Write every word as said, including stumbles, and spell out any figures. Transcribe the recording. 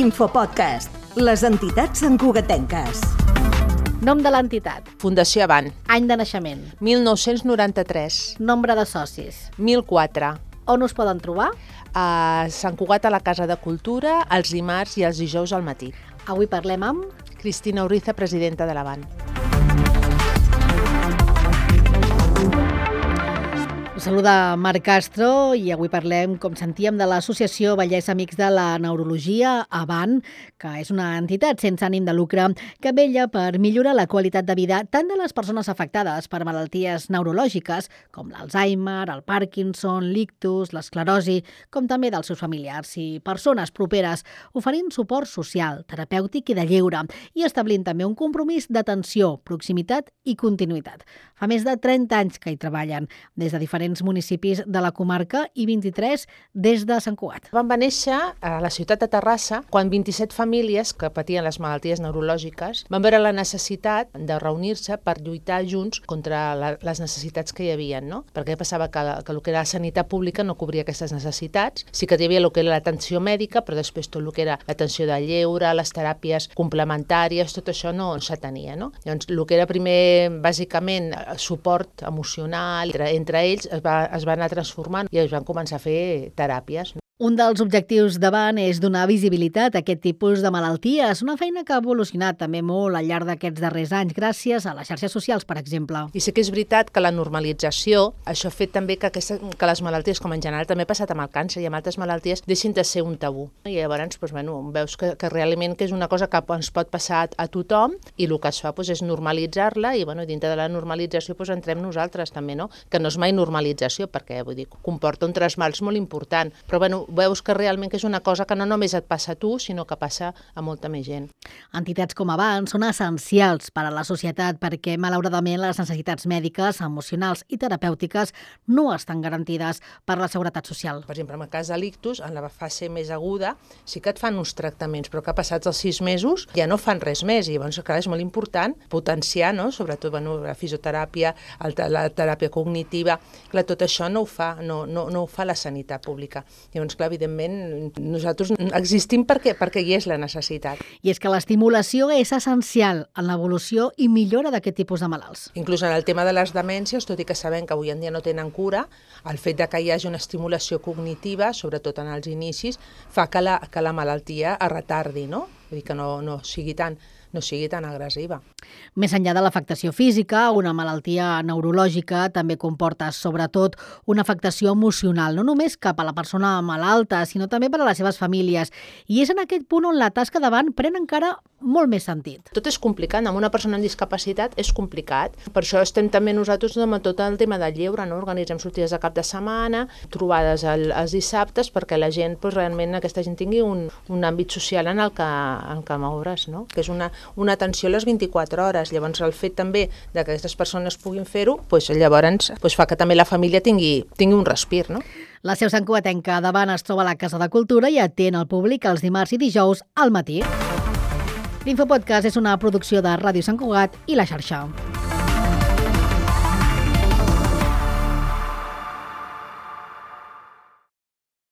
Infopodcast, les entitats santcugatenques. Nom de l'entitat. Fundació Avant. Any de naixement. mil nou-cents noranta-tres. Nombre de socis. mil quatre. On us poden trobar? A Sant Cugat, a la Casa de Cultura, els dimarts i els dijous al matí. Avui parlem amb... Cristina Uriza, presidenta de l'Avant. Us saluda Marc Castro i avui parlem, com sentíem, de l'Associació Vallès Amics de la Neurologia, Avant, que és una entitat sense ànim de lucre que vetlla per millorar la qualitat de vida tant de les persones afectades per malalties neurològiques com l'Alzheimer, el Parkinson, l'ictus, l'esclerosi, com també dels seus familiars i persones properes, oferint suport social, terapèutic i de lleure i establint també un compromís d'atenció, proximitat i continuïtat. Fa més de trenta anys que hi treballen, des de diferents municipis de la comarca i vint-i-tres des de Sant Cugat. Vam va néixer a la ciutat de Terrassa quan vint-i-set famílies que patien les malalties neurològiques van veure la necessitat de reunir-se per lluitar junts contra la, les necessitats que hi havia, no? Perquè passava que, que el que era la sanitat pública no cobria aquestes necessitats. Sí que hi havia el que era l'atenció mèdica, però després tot el que era l'atenció de lleure, les teràpies complementàries, tot això no s'atenia, no? Llavors, el que era primer, bàsicament, suport emocional entre, entre ells es va, es va anar transformant i es van començar a fer teràpies. Un dels objectius d'Avant és donar visibilitat a aquest tipus de malalties, una feina que ha evolucionat també molt al llarg d'aquests darrers anys, gràcies a les xarxes socials, per exemple. I sí que és veritat que la normalització, això ha fet també que, aquesta, que les malalties, com en general també ha passat amb el càncer i amb altres malalties, deixin de ser un tabú. I llavors doncs, bueno, veus que, que realment que és una cosa que ens pot passar a tothom i el que es fa doncs, és normalitzar-la i bueno, dintre de la normalització doncs, entrem nosaltres també, no? Que no és mai normalització perquè vull dir, comporta un trasmals molt important, però bueno, veus que realment que és una cosa que no només et passa a tu, sinó que passa a molta més gent. Entitats com Avant són essencials per a la societat perquè, malauradament, les necessitats mèdiques, emocionals i terapèutiques no estan garantides per la Seguretat Social. Per exemple, en el cas de l'ictus, en la fase més aguda, sí que et fan uns tractaments, però que passats els sis mesos ja no fan res més. I llavors, clar, és molt important potenciar, no? Sobretot bueno, la fisioteràpia, la teràpia cognitiva. Clar, tot això no ho fa, no, no, no ho fa la sanitat pública. Llavors, clar, evidentment, nosaltres existim perquè, perquè hi és la necessitat. I és que l'estimulació és essencial en l'evolució i millora d'aquest tipus de malalts. Inclús en el tema de les demències, tot i que sabem que avui en dia no tenen cura, el fet de que hi hagi una estimulació cognitiva, sobretot en els inicis, fa que la, que la malaltia es retardi, no? Vull dir que no, no sigui tan... no sigui tan agressiva. Més enllà de l'afectació física, una malaltia neurològica també comporta, sobretot, una afectació emocional, no només cap a la persona malalta, sinó també per a les seves famílies. I és en aquest punt on la tasca d'Avant pren encara molt més sentit. Tot és complicat, amb una persona amb discapacitat és complicat. Per això estem també nosaltres amb tot el tema del lleure, no? Organitzem sortides de cap de setmana, trobades el, els dissabtes, perquè la gent, doncs, realment aquesta gent tingui un, un àmbit social en el que, en el que moure's, no? Que és una una atenció a les vint-i-quatre hores. Llavors el fet també de que aquestes persones puguin fer-ho, doncs, llavors doncs, fa que també la família tingui, tingui un respir, no? La seu santcugatenca d'Avant es troba a la Casa de Cultura i atén al públic els dimarts i dijous al matí. L'Infopodcast és una producció de Ràdio Sant Cugat i La Xarxa.